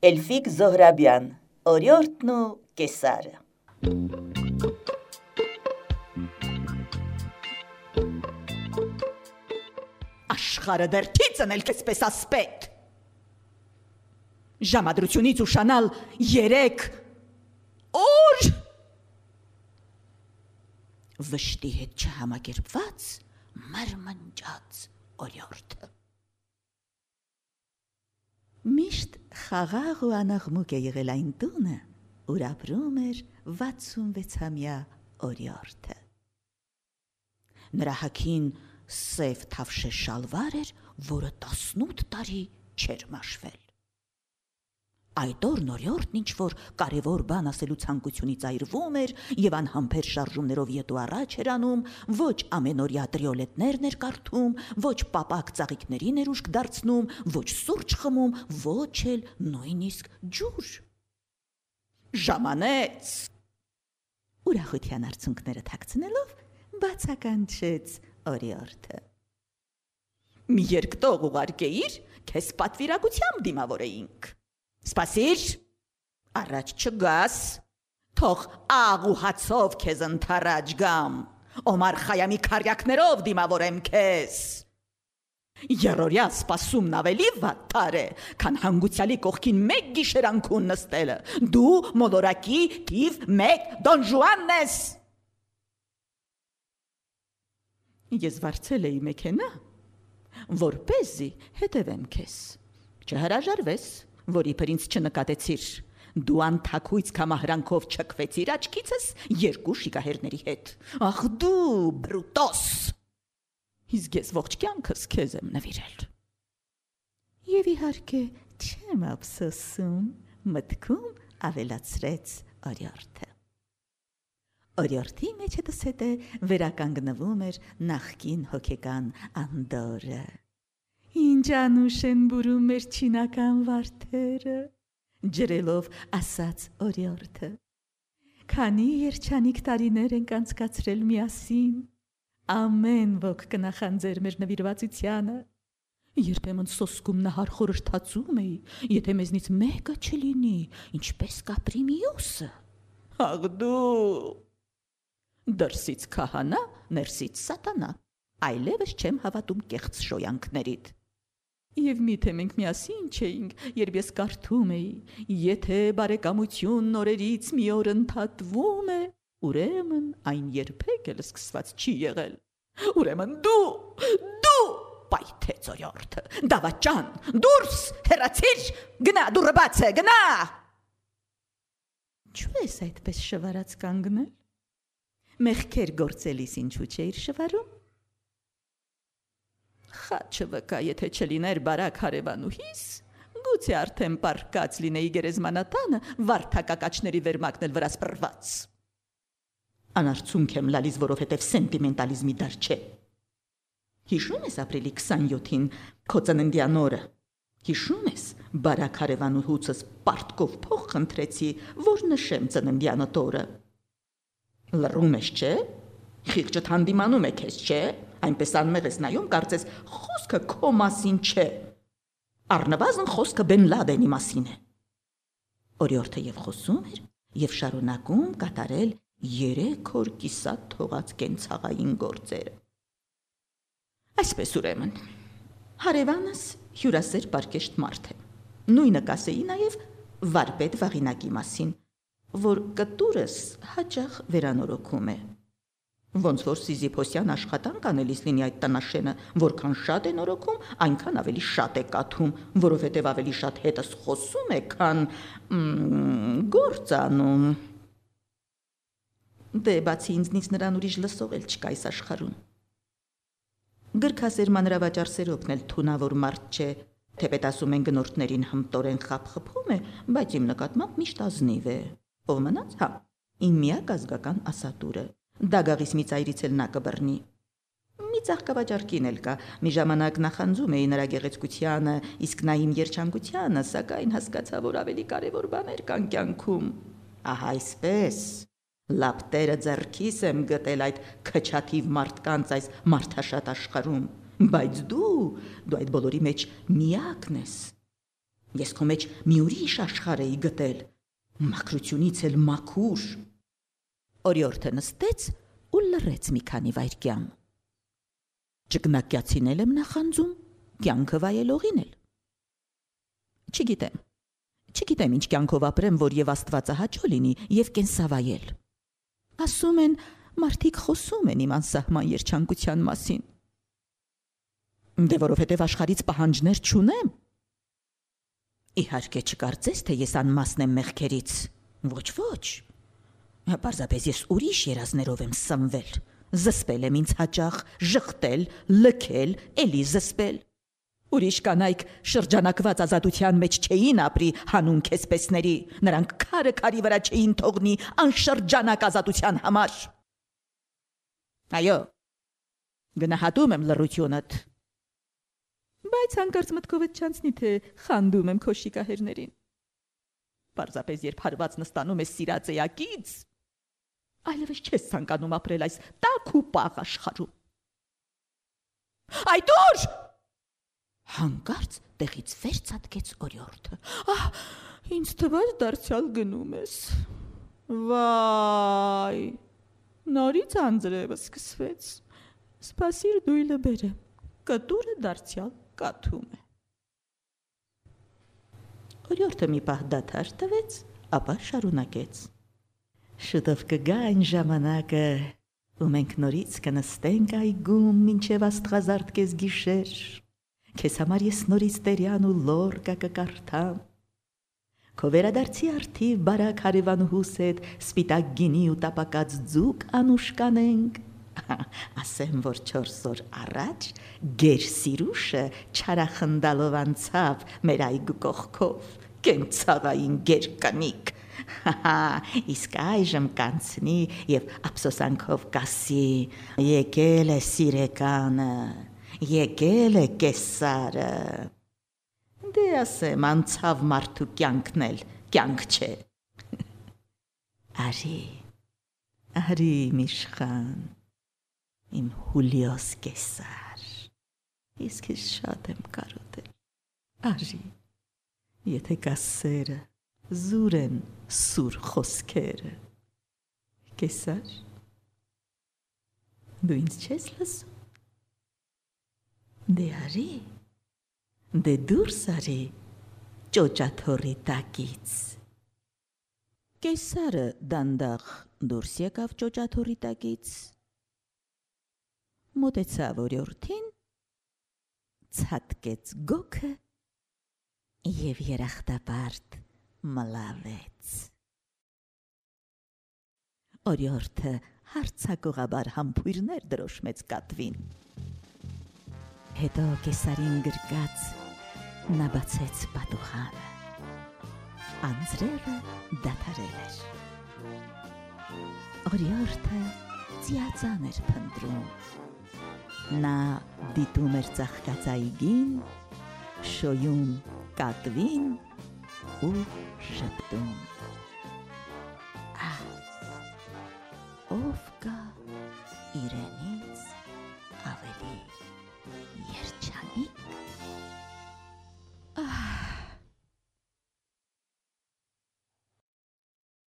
Էլֆիկ Զոհրաբյան, օրիորդն ու կեսարը։ Աշխարը դերթի ծնել կեսպես ասպետ։ Ժամադրությունից ուշանալ 3 օր։ Վշտի հետ չհամակերպված մրմնջաց օրիորդը։ Միշտ խաղաղ ու անաղմուկ է եղել այն տունը, ուր ապրում էր 66-ամյա օրիորդը։ Նրա հագին սև թավշե շալվար էր, որը 18 տարի չէր մաշվել։ Այդ օրն օրիորդն ինչ-որ կարևոր բան ասելու ցանկությունից այրվում էր և անհամբեր շարժումներով ետ ու առաջ էր անում, ոչ ամենօրյա տրիոլետներն էր կարդում, ոչ պապակ ծաղիկներին էր ուշք դարձնում, ոչ սուրճ խմում, ոչ էլ նույնիսկ ջուր։ Ժամանեց։ Ուրախության արցունքները թաքցնելով բացականչեց օրիորդը։ Մի երկտող ուղարկեիր, քեզ պատվիրակությամբ դիմավորեինք։ Սպասիր, առաջ չգաս, թող աղ ու հացով քեզ ընթառաջ գամ, Օմար Խայամի քարյակներով դիմավորեմ քեզ։ Երորյա սպասումն ավելի վատար է, քան հանգուցյալի կողքին մեկ գիշերանքուն նստելը, դու մոլորակի թիվ 1 Դոն Ժուանն ես։ Ես վարձել էի մեքենա, որպեսզի հետևեմ քեզ, չհրաժարվես, որ իբր ինձ չնկատեցիր, դու անթաքույց կամահրանքով չքվեցիր աչքիցս 2 շիկահերների հետ, ախ դու բրուտոս, իսկ ես ողջ կյանքս քեզ եմ նվիրել։ Եվ իհարկե չեմ ափսոսում, մտքում ավելացրեց օրիորդը։ Օրիորդի մեջտս հետը վերականգնվում էր նախկին հոգեկան անդորը։ Ինչ անուշ են բուրում մեր չինական վարդերը, ջրելով ասաց օրիորդը։ Քանի երջանիկ տարիներ ենք անցկացրել միասին, ամեն ոք կնախանձեր մեր նվիրվածությանը, երբեմն սոսկում նահար խորհրդածում էի, եթե մեզնից մեկը չլինի, ինչպես կապրի մյուսը։ Աղ դու, դրսից քահանա, ներսից սատանա, այլևս չեմ հավատում կեղծ շոյանքներիդ։ Եվ միթե մենք միասին չէինք, երբ ես կարդում էի, եթե բարեկամությունն օրերից մի օր ընդհատվում է, ուրեմն այն երբեք էլ սկսված չի եղել։ Ուրեմն դու պայթեց օրիորդը, դավաճան, դուրս, հեռացիր, գնա, դուռը բաց է, գնա։ Ինչու ես այդպես շվարած կանգնել։ Մեղքեր գործելիս ինչու չէիր շվարում։ Խաչը վկա, եթե չլիներ բարակ հարևանուհիս, գուցե արդեն պարկած լինեի գերեզմանատանը վարդակակաչների վերմակնել վրա սպրված։ Անարցունք եմ լալիս, որովհետև սենտիմենտալիզմի դար չէ։ Հիշում ես ապրիլի 27-ին քո ծննդյան օրը։ Հիշում ես բարակ հարևանուհուցս պարտկով փող խնդրեցի, որ նշեմ ծննդյանդ օրը։ Լռում ես, չէ։ Խիղճդ հանդիմանում է քեզ, չէ։ Այնպես անմեղ ես նայում, կարծես խոսքը քո մասին չէ։ Առնվազն խոսքը Բեն Լադենի մասին է։ Օրիորդը եւ խոսում էր եւ շարունակում կատարել 3 օր կիսատ թողած կենցաղային գործերը։ Այսպես ուրեմն, հարևանս հյուրասեր պարկեշտ մարդ է։ Նույնը կասեի նաեւ վարպետ Վաղինակի մասին, որ կտուրս հաճախ վերանորոգում է։ Ոնց որ Սիզիփոսյան աշխատանք անելիս լինի այդ տնաշենը, որքան շատ է նորոգում, այնքան ավելի շատ է կաթում, որովհետև ավելի շատ հետս խոսում է, քան գործ անում։ Դե բացի ինձնից նրան ուրիշ լսող էլ չկա այս աշխարհում։ Գրքասեր մանրավաճառ Սերոբն էլ թունավոր մարդ չէ, թեպետ ասում են գնորդներին հմտորեն խաբխփում է, բայց իմ նկատմամբ միշտ ազնիվ է։ Ով մնաց, հա, իմ միակ ազգական ասատուրը։ Դագաղիս մի ծայրից էլ նա կբռնի։ Մի ծաղկավաճառ էլ կա, մի ժամանակ նախանձում էի նրա գեղեցկությանը, իսկ նա իմ երջանկությանը, սակայն հասկացա, որ ավելի կարևոր բաներ կան կյանքում։ Ահա այսպես, լապտերը ձեռքիս եմ գտել այդ քչաթիվ մարդկանց այս մարդաշատ աշխարհում, բայց դու այդ բոլորի մեջ միակն ես։ Ես քո մեջ մի ուրիշ աշխարհ էի գտել, մաքրությունից էլ մաքուր։ Օրիորդը նստեց ու լռեց մի քանի վայրկյան։ Ճգնակյացին եմ նախանձում, կյանքը վայելողին էլ։ Չգիտեմ ինչ կյանքով ապրեմ, որ եւ Աստվածահաճո լինի եւ կենսավայել։ Ասում են, մարդիկ խոսում են իմ անսահման երջանկության մասին։ Դե որովհետեւ աշխարհից պահանջներ չունեմ։ Իհարկե չկարծես, թե ես անմասն եմ մեղքերից։ Ոչ։ Պարզապես ես ուրիշ երազներով եմ սնվել։ Զսպել եմ ինձ հաճախ, ժխտել, լքել, էլի զսպել։ Ուրիշ կանայք շրջանակված ազատության մեջ չէին ապրի հանուն քեսպեսների, նրանք քարը քարի վրա չէին թողնի անշրջանակ ազատության համար։ Այո, գնահատում եմ լռությունդ, բայց հանկարծ մտքովդ չանցնի, թե խանդում եմ քո շիկահերներին։ Պարզապես երբ հարված նստանում ես սիրած էակից, այլևս չես ցանկանում ապրել այս տաք ու պաղ աշխարհում։ Այդ ուր! Հանկարծ տեղից վեր ցատկեց օրիորդը։ Ինձ թվաց դարձյալ գնում ես։ Վայ, նորից անձրևը սկսվեց։ Սպասիր դույլը բերեմ, կտուրը դարձյալ կաթում է։ Օրիորդը մի պահ դադար տվեց, ապա շարունակեց։ Շուտով կգա այն ժամանակը, ու մենք նորից կնստենք այգում մինչև աստղազարդ կես գիշեր։ Քեզ համար ես նորից տերյան ու լորկա կկարդամ։ Քո վերադարձի արդիվ բարակ հարևանուհուս հետ սպիտակ գինի ու տապակած ձուկ անուշ կանենք։ Ասեմ, որ 4 օր առաջ գերսիրուշը չարախնդալով անցավ մեր այգու կողքով, կենցաղային գերկանիկ։ Իսկ այժմ կանցնի և ափսոսանքով կասի. եկել է սիրեկանը, եկել է կեսարը։ Դե ասեմ, անցավ մարդու կյանքն էլ կյանք չէ։ Արի իմ իշխան, իմ Հուլիոս կեսար, իսկ ես շատ եմ կարոտել։ Արի, եթե կա սերը, զուր են սուր խոսքերը։ Կեսար, դու ինձ չես լսում։ Դե արի, դե դուրս արի ճոճաթոռի տակից։ Կեսարը դանդաղ դուրս եկավ ճոճաթոռի տակից, մոտեցավ օրիորդին, ցատկեց գոգը և երախտապարտ մլավեց։ Օրիորդը հարցակողաբար համբույրներ դրոշմեց կատվին։ Հետո կեսարին գրկած նա բացեց պատուխանը։ Անձրևը դադարել էր։ Օրիորդը ծիածան էր փնտրում։ Նա դիտում էր ծաղկած այգին, շոյում կատվին ու շպտում. ով կա իրենից ավելի երջանիկ։